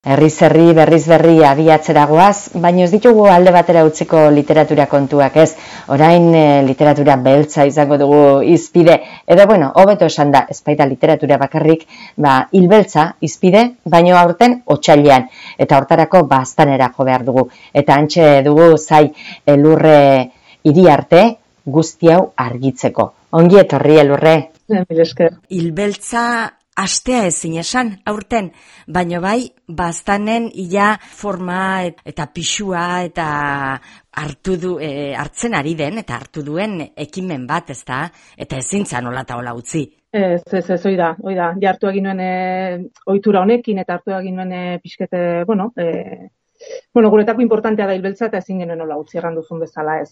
Herriz herri, berriz berri abiatzera goaz, baina ez ditugu alde batera utziko literatura kontuak, ez? Orain literatura beltza izango dugu hizpide, edo hobeto esan da, ez baita literatura bakarrik, hilbeltza hizpide, baino aurten otsailean, eta hortarako Baztanera jo behar dugu. Eta hantxe dugu zai Elurre Iriarte guzti hau argitzeko. Ongi etorri, Elurre? Hilbeltza astea ezin esan, aurten, baino bai, Baztanen ia forma eta pixua eta hartzen ari den, eta hartu duen ekimen bat, ez da, eta ezin zan hola eta hola utzi. Ez, oida, jartu egin nuen ohitura honekin, eta hartu egin nuen pixkete, guretako importantea da hilbeltza, eta ezin genuen hola utzi erranduzun bezala ez.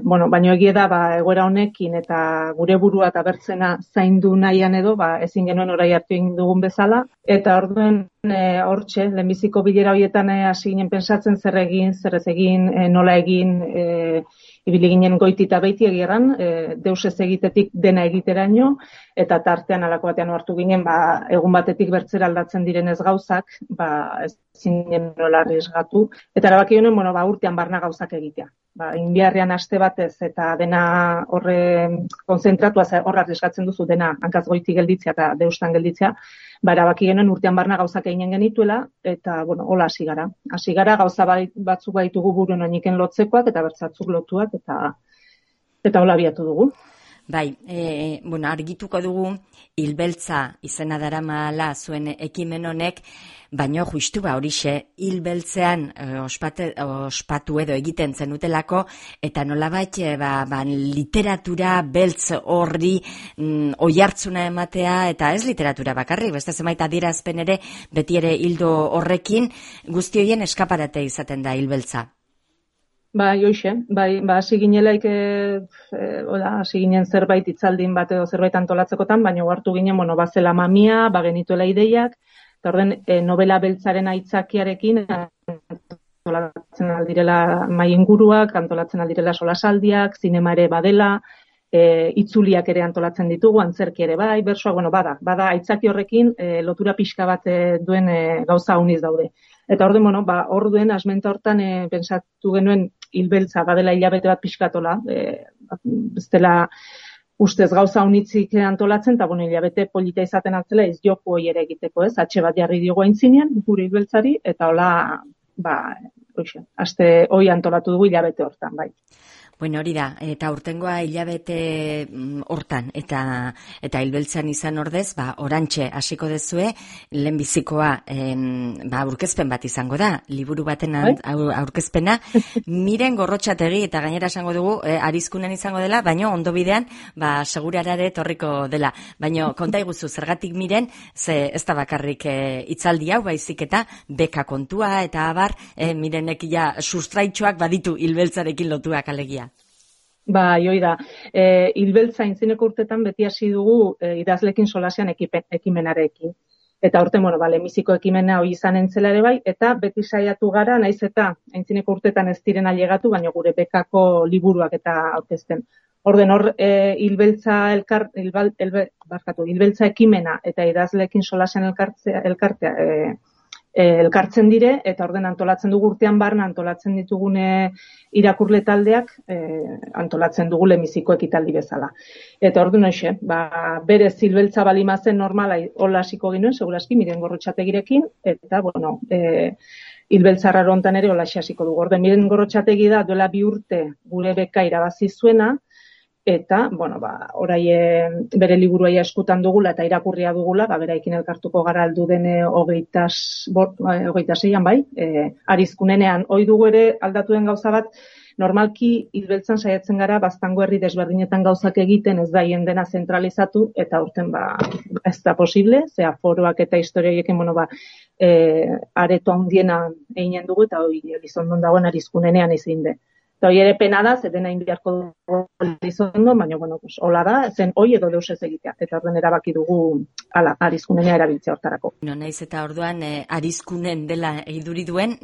Baino egie da, egoera honekin eta gure burua eta bertzena zaindu nahian edo, ezin genuen orai hartu egin dugun bezala, eta orduen hortxe, lehenbiziko bilera horietan hasi ginen pensatzen zer egin, zer ez egin, nola egin, ibili ginen goiti eta beiti egieran, deus ez egitetik dena egiteraino, eta tartean alako batean hartu ginen, egun batetik bertzera aldatzen direnez gauzak, ezin genuen nola arriesgatu, eta erabaki honen, urtean barna gauzak egitea. Inbiarrean aste batez eta dena horre konzentratua horra arriesgatzen duzu dena hankaz goiti gelditzea eta deustan gelditzea, erabaki genuen urtean barna gauzak eginen genituela, eta, hola hasi gara. Hasi gara, gauza batzuk baitugu buruen oiniken lotzekoak, eta bertzatzuk lotuak, eta hola abiatu dugu. Bai, argituko dugu hilbeltza izena daramala zuen ekimen honek, baino justu horixe hilbeltzean ospatu edo egiten zenutelako, eta nolabait literatura beltz horri oihartzuna ematea, eta ez literatura bakarrik, beste zenbait adierazpen ere, beti ere hildo horrekin, guzti horien eskaparate izaten da hilbeltza. Joixe, hasi ginelaik, hasi ginen zerbait itzaldin bat edo zerbait antolatzekotan, baina hartu ginen, bazela mamia, genituela ideiak, eta orden novela beltzaren aitzakiarekin antolatzen aldirela mai inguruak, antolatzen aldirela solasaldiak, zinema ere badela, itzuliak ere antolatzen ditugu, antzerki ere bai, bersoa, bada aitzaki horrekin lotura pixka bat duen gauza uniz daude. Eta orduen asmenta hortan pentsatu genuen hilbeltza badela hilabete bat pixkatola, bestela ustez gauza unitzik antolatzen, eta hilabete polita izaten atzela ez joku hori ere egiteko, ez? Atxe bat jarri diogu aintzinean, gure hilbeltzari, eta hola, aste hori antolatu dugu hilabete hortan, bai. Hori da, eta urtengoa hilabete hortan, eta hilbeltzan izan ordez, orantxe hasiko dezue, lehenbizikoa aurkezpen bat izango da, liburu baten aurkezpena, Miren Gorrotxategi, eta gainera esango dugu, arizkunen izango dela, baino ondo bidean, segurarare torriko dela. Baino, konta iguzu, zergatik Miren, ze ez da bakarrik hitzaldi hau, baizik eta beka kontua, eta abar, Mirenek sustraitxoak baditu hilbeltzarekin lotuak alegia. Hoi da. Hilbeltza aintzineko urtetan beti hasi dugu idazlekin solasean ekimenarekin. Eta urte, lehenbiziko ekimena hori izan entzela ere bai, eta beti saiatu gara, naiz eta aintzineko urtetan ez diren ailegatu, baina gure bekako liburuak eta aurkezten. Orden hor, hilbeltza ekimena eta idazlekin solasean elkartea elkartzen dire, eta orden antolatzen dugu urtean barna, antolatzen ditugune irakurle taldeak, antolatzen dugu lehenbiziko ekitaldi bezala. Eta ordu noixe, berez hilbeltza balimazen normala hola hasiko ginen, segurazki, Miren Gorrotxategirekin, eta, hilbeltza hontan ere hola hasiko dugu. Orden, Miren Gorrotxategi da, duela 2 urte gure beka irabazi zuena, eta, orai bere liburua eskutan dugula eta irakurria dugula, beraikin elkartuko gara aldu dene 26an bai, arizkunenean. Hoi dugu ere aldatu den gauza bat, normalki hilbeltzan saiatzen gara Baztango herri desberdinetan gauzak egiten, ez da hien dena zentralizatu, eta urten ez da posible, zea foroak eta historioiekin, areto handiena eginen dugu, eta hoi Elizondon dagoen arizkunenean ezin de. Eta hori ere pena da, zedena inbiarko dugu Elizondo, baina, hola da, zen hoi edo deus ez egitea. Eta orden erabaki dugu, arizkunenea erabiltzea hortarako. Naiz eta orduan, arizkunen dela iduri duen,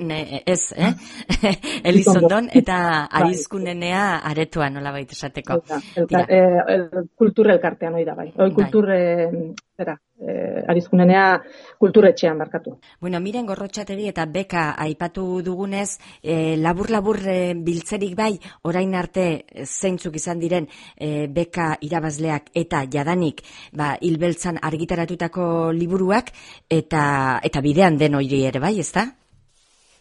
ez, Elizondon, eta arizkunenea aretoan, nola baita esateko. Kultur elkartean hori da, bai. Kultur, Arizkunenea kulturetxean barkatu. Bueno, Miren Gorrotxategi eta beka aipatu dugunez, labur-labur biltzerik bai, orain arte zeintzuk izan diren beka irabazleak eta jadanik hilbeltzan argitaratutako liburuak eta bidean den hori ere bai, ezta?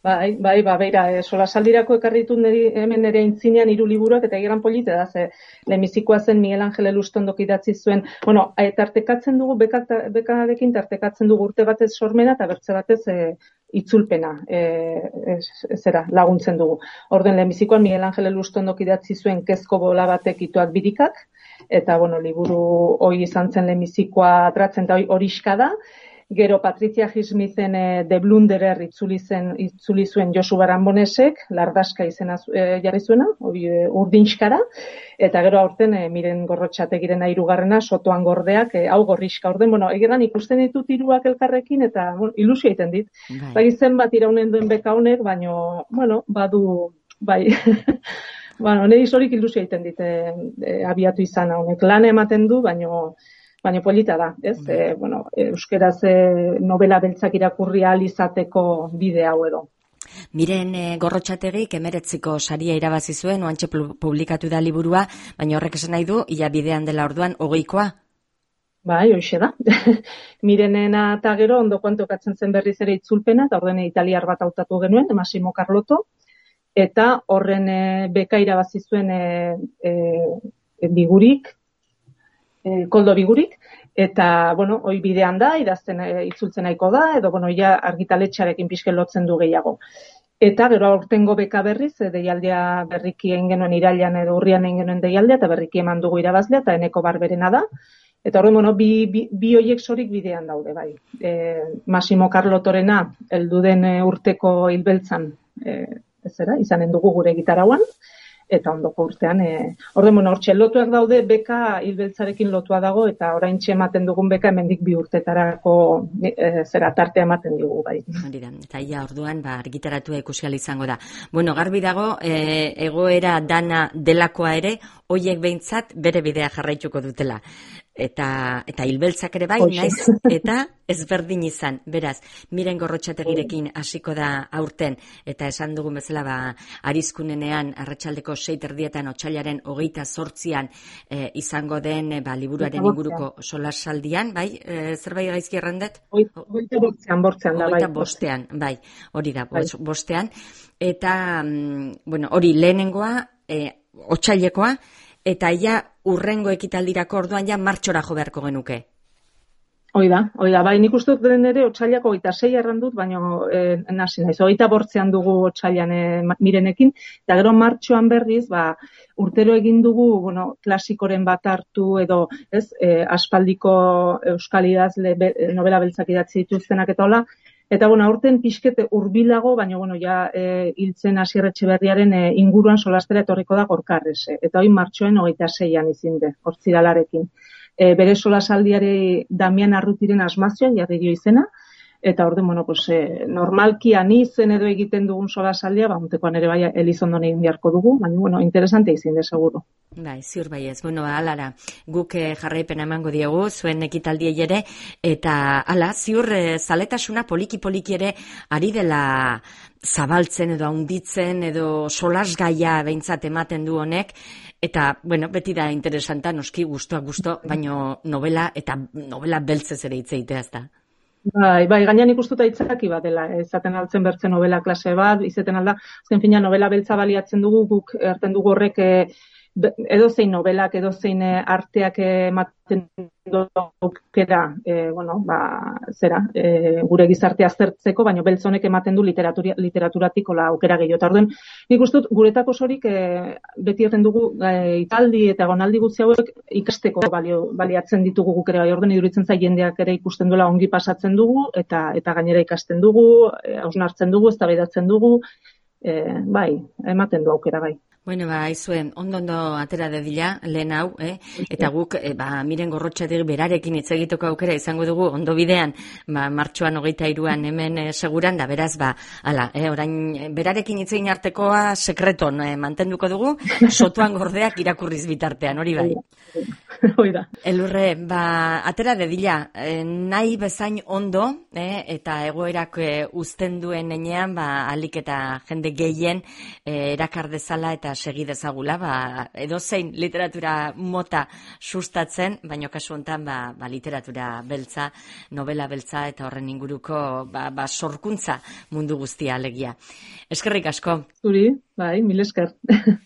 Bai, beira, solasaldirako ekarritut hemen ere intzinean 3 liburuak eta egeran polite da, ze lehenbizikoa zen Miguel Angel Elustondok idatzi zuen. Bueno, tartekatzen dugu, bekarekin tartekatzen dugu urte batez sormena eta bertze batez itzulpena laguntzen dugu. Orden lehenbizikoan Miguel Angel Elustondok idatzi zuen Kezko bola batek ituak birikak, eta bueno, liburu hori izan zen lehenbizikoa atratzen da horiska da. Gero Patricia Gismizen The Blunderer itzuli zuen Josu Baranbonesek, Lardaska izena jarri zuena, urdinskara, eta gero aurten Miren Gorrotxategiren 3. Sotoan gordeak, hau gorriska orden, bueno, egeran ikusten ditut 3 elkarrekin, eta ilusio egiten dit. Bai zenbat iraunen duen beka honek, baino, bueno, badu, bai, bueno, nire isorik ilusio egiten dit abiatu izan honek. Lan ematen du, baino polita da, ez? Euskeraz novela beltzak irakurri ahal izateko bide hau edo. Miren Gorrotxategik 19ko saria irabazi zuen, oantxe publikatu da liburua, baina horrek esan nahi du, ia bidean dela orduan, 20koa? Bai, hoxe da. Mirenena eta gero ondokoan tokatzen zen berriz ere itzulpena, eta ordene italiar bat hautatu genuen, Massimo Carlotto, eta horren beka irabazi zuen Bigurik, Koldo Bigurik, eta, bueno, hoi bidean da, idazten itzultzen nahiko da, edo, bueno, ja argitaletxarekin pixken lotzen du gehiago. Eta, gero aurtengo beka berriz, deialdea berriki egin genuen irailean edo urrian egin genuen deialdea, eta berriki eman dugu irabazlea, eta Eneko Barberena da. Eta horren, bueno, bi hoiek sorik bidean daude, bai. Massimo Carlottorena, heldu den urteko hilbeltzan, izanen dugu gure gitarauan, eta ondoko urtean, hortxe lotuak daude, beka hilbeltzarekin lotua dago, eta oraintxe ematen dugun beka hemendik 2 urtetarako tartea ematen dugu, bai. Eta ia orduan, argitaratua ikusial izango da. Bueno, garbi dago, egoera dana delakoa ere, hoiek behintzat bere bidea jarraituko dutela. Eta hilbeltzak ere bai, naiz, eta ezberdin izan. Beraz, Miren Gorrotxategirekin hasiko da aurten, eta esan dugun bezala, Arizkunenean, arratsaldeko 6:30 otsailaren 28an izango den liburuaren inguruko solasaldian, bai, zerbait gaizki errandet? 25 da, bai. 25, bai, hori da, 5. Eta, bueno, hori lehenengoa, otsailekoa, eta ja urrengo ekitaldirako orduan ja martxora jo beharko genuke. Hoi da, bai, nik uste dut den ere otsailako 26 errandut, baina nasi naiz, 28 dugu otsailan Mirenekin, eta gero martxoan berriz, urtero egin dugu, bueno, klasikoren bat hartu edo, aspaldiko euskal idazle novela beltzak idatzi dituztenak eta hola, eta, bueno, aurten pixkete hurbilago, baina, bueno, ja hiltzen Asier Etxeberriaren inguruan solastera etorriko da Gorkarrese. Eta hori martxoen 26an izinde, hortziralarekin. Bere solasaldiare Damian Arrutiren asmazioan jarri dio izena, eta orden, bueno, normalki anizen edo egiten dugun solasaldia, ontekoan ere bai Elizondon egin beharko dugu, baina, bueno, interesante izinde, seguro. Bai, ziur bai ez. Bueno, alara, guk jarraipena emango diegu, zuen ekitaldiei ere, eta ziur zaletasuna poliki ere ari dela zabaltzen edo handitzen edo solasgaia behintzat ematen du honek, eta, bueno, beti da interesanta, noski gusto, baino novela eta novela beltzez ere hitz egitea, ezta? Bai, gainean ikustuta itzaki bat dela, izaten altzen bertzen novela klase bat, izaten alda, azken fina novela beltza baliatzen dugu, guk hartzen dugu horrek edozein novelak, edozein arteak ematen aukera, gure gizartea aztertzeko, baina beltz honek ematen du literaturatik aukera gehiago. Eta orduan, nik uste dut, guretako sorik beti erren dugu italdi eta gonaldi gutzi hauek ikasteko baliatzen ditugu guk ere, bai, orduan iduritzen zai jendeak ere ikusten duela ongi pasatzen dugu, eta gainera ikasten dugu, hausnartzen dugu, eztabaidatzen dugu, bai, ematen du aukera, bai. Bueno, aizue, ondo atera dedila, lehen hau, eta guk, miren gorrotxatik berarekin hitz egiteko aukera izango dugu, ondo bidean, martxoan 23an hemen seguran, da beraz, orain, berarekin hitz egin artekoa sekreton mantenduko dugu, sotuan gordeak irakurriz bitartean, hori bai. Hoi da. Elurre, atera dedila, nahi bezain ondo, eta egoerak uzten duen enean, alik eta jende gehien erakar dezala eta segi dezagula, edozein literatura mota sustatzen, baino kasu honetan literatura beltza, novela beltza eta horren inguruko sorkuntza mundu guztia alegia. Eskerrik asko. Zuri, bai, mil esker.